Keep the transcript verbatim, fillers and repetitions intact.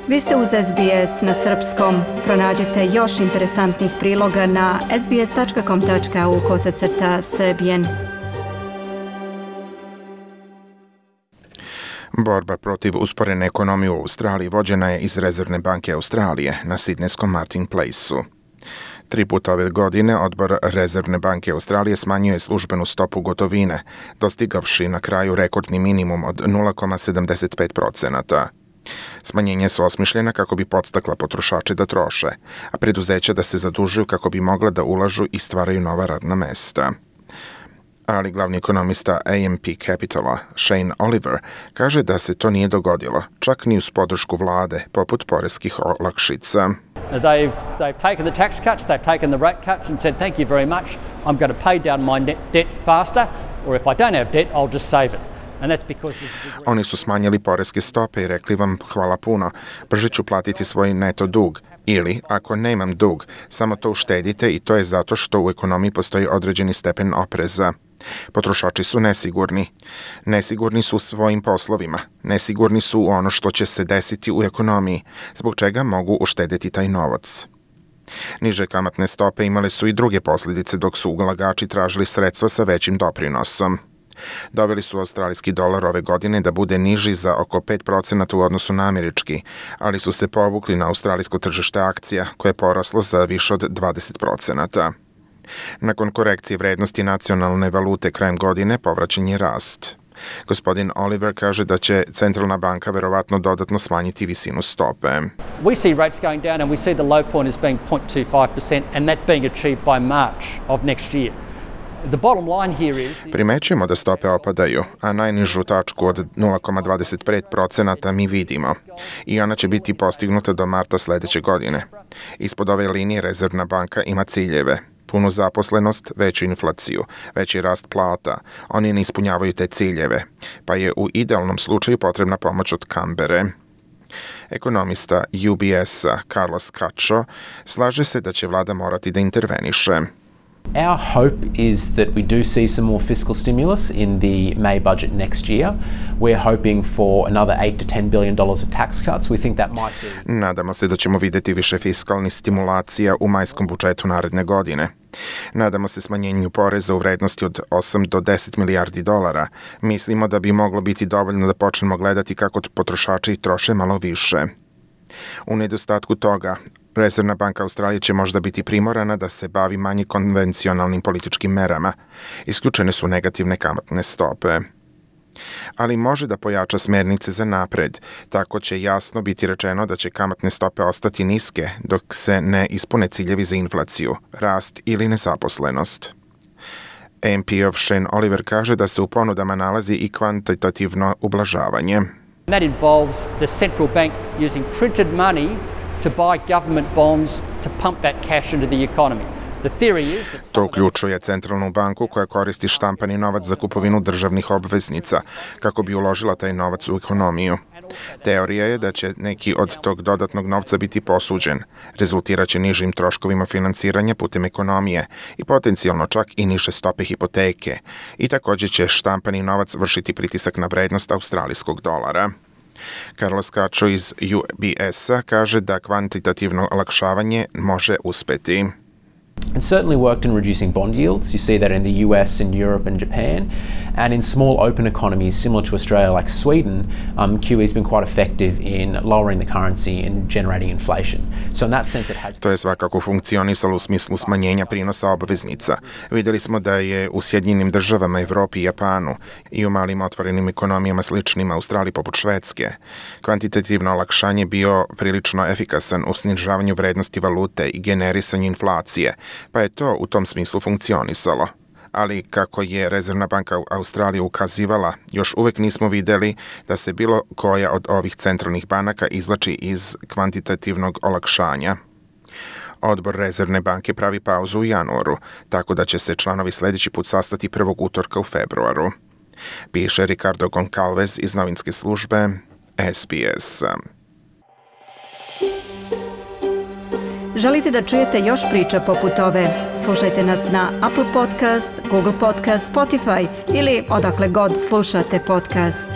Vi ste uz S B S na srpskom. Pronađite još interesantnih priloga na sbs.com.au kosacrta srbijen. Borba protiv usporene ekonomije u Australiji vođena je iz Rezervne banke Australije na sidnejskom Martin Place-u. Tri puta ove godine odbor Rezervne banke Australije smanjuje službenu stopu gotovine, dostigavši na kraju rekordni minimum od nula zarez sedamdeset pet procenata. Smanjenje su osmišljena kako bi podstakla potrošače da troše, a preduzeća da se zadužuju kako bi mogla da ulažu i stvaraju nova radna mesta. Ali glavni ekonomista A M P Capitala, Shane Oliver, kaže da se to nije dogodilo, čak ni uz podršku vlade, poput poreskih olakšica. They've, they've taken the tax cuts, they've taken the rate cuts and said, thank you very much, I'm going to pay down my net debt faster, or if I don't have debt, I'll just save it. And that's because Oni su smanjili poreske stope i rekli vam hvala puno, brže ću platiti svoj neto dug. Ili, ako nemam dug, samo to uštedite i to je zato što u ekonomiji postoji određeni stepen opreza. Potrošači su nesigurni. Nesigurni su u svojim poslovima. Nesigurni su u ono što će se desiti u ekonomiji, zbog čega mogu uštedeti taj novac. Niže kamatne stope imale su i druge posljedice dok su ulagači tražili sredstva sa većim doprinosom. Doveli su australijski dolar ove godine da bude niži za oko pet procenata u odnosu na američki, ali su se povukli na australijsko tržište akcija koje je poraslo za više od dvadeset procenata. Nakon korekcije vrednosti nacionalne valute krajem godine povraćen je rast. Gospodin Oliver kaže da će centralna banka verovatno dodatno smanjiti visinu stope. we see rates going down and we see the low point as being zero point two five percent and that being achieved by March of next year. The bottom line here is Primećujemo da stope opadaju, a najnižu tačku od nula zarez dvadeset pet procenata mi vidimo i ona će biti postignuta do marta sledeće godine. Ispod ove linije Rezervna banka ima ciljeve: punu zaposlenost, veću inflaciju, veći rast plata. Oni ne ispunjavaju te ciljeve, pa je u idealnom slučaju potrebna pomoć od Kambere. Ekonomista U B S-a Carlos Cacho slaže se da će vlada morati da interveniše. Our hope is that we do see some more fiscal stimulus in the May budget next year. We're hoping for another eight to ten billion dollars of tax cuts. We think that might be... Nadamo se da ćemo vidjeti više fiskalnih stimulacija u majskom budžetu naredne godine. Nadamo se smanjenju poreza u vrednosti od osam do deset milijardi dolara. Mislimo da bi moglo biti dovoljno da počnemo gledati kako potrošači troše malo više. U nedostatku toga, Rezervna banka Australije će možda biti primorana da se bavi manje konvencionalnim političkim merama. Isključene su negativne kamatne stope. Ali može da pojača smernice za napred, tako će jasno biti rečeno da će kamatne stope ostati niske dok se ne ispune ciljevi za inflaciju, rast ili nezaposlenost. A M P-ov Shane Oliver kaže da se u ponudama nalazi i kvantitativno ublažavanje. that involves the central bank using printed money to buy government bonds to pump that cash into the economy. The theory is that To uključuje centralnu banku koja koristi štampani novac za kupovinu državnih obveznica kako bi uložila taj novac u ekonomiju. Teorija je da će neki od tog dodatnog novca biti posuđen, rezultiraće nižim troškovima finansiranja putem ekonomije i potencijalno čak i niže stope hipoteke. I također će štampani novac vršiti pritisak na vrednost australijskog dolara. Carlos Cacho iz U B S-a kaže da kvantitativno olakšavanje može uspeti. It certainly worked in reducing bond yields. You see that in the U S and Europe and Japan. And in small open economies similar to Australia like Sweden, um, Q E's been quite effective in lowering the currency and generating inflation. So in that sense it has... To je svakako funkcionisalo u smislu smanjenja prinosa obveznica. Vidjeli smo da je u Sjedinjenim državama, Evropi i Japanu i u malim otvorenim ekonomijama sličnim Australiji poput Švedske kvantitativno olakšanje bio prilično efikasan u snižavanju vrednosti valute i generisanju inflacije, pa je to u tom smislu funkcionisalo. Ali kako je Rezervna banka Australije ukazivala, još uvek nismo vidjeli da se bilo koja od ovih centralnih banaka izvlači iz kvantitativnog olakšanja. Odbor Rezervne banke pravi pauzu u januaru, tako da će se članovi sljedeći put sastati prvog utorka u februaru. Piše Ricardo Goncalves iz novinske službe S B S. Želite da čujete još priča poput ove? Slušajte nas na Apple Podcast, Google Podcast, Spotify ili odakle god slušate podcast.